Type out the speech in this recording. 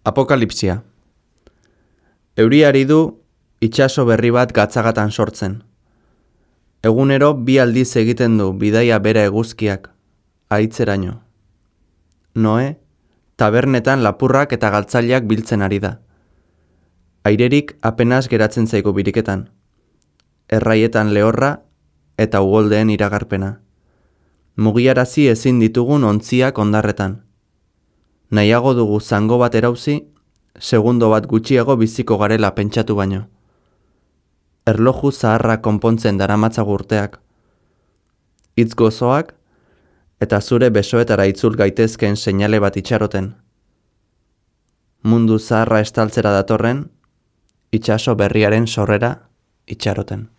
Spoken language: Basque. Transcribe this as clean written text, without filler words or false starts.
Apokalipsia. Euriari du itsaso berri bat gatzagatan sortzen. Egunero 2 aldiz egiten du bidaia bera eguzkiak, haitzeraino. Noe, tabernetan lapurrak eta galtzaileak biltzen ari da. Airerik apenas geratzen zaigu biriketan. Erraietan lehorra eta uholdeen iragarpena. Mugiarazi ezin ditugun ontziak ondarretan. Nahiago dugu zango bat erauzi, segundo bat gutxiago biziko garela pentsatu baino. Erloju zaharra konpontzen daramatzagu urteak. Hitz gozoak eta zure besoetara itzul gaitezkeen seinale bat itxaroten. Mundu zaharra estaltzera datorren, itsaso berriaren sorrera itxaroten.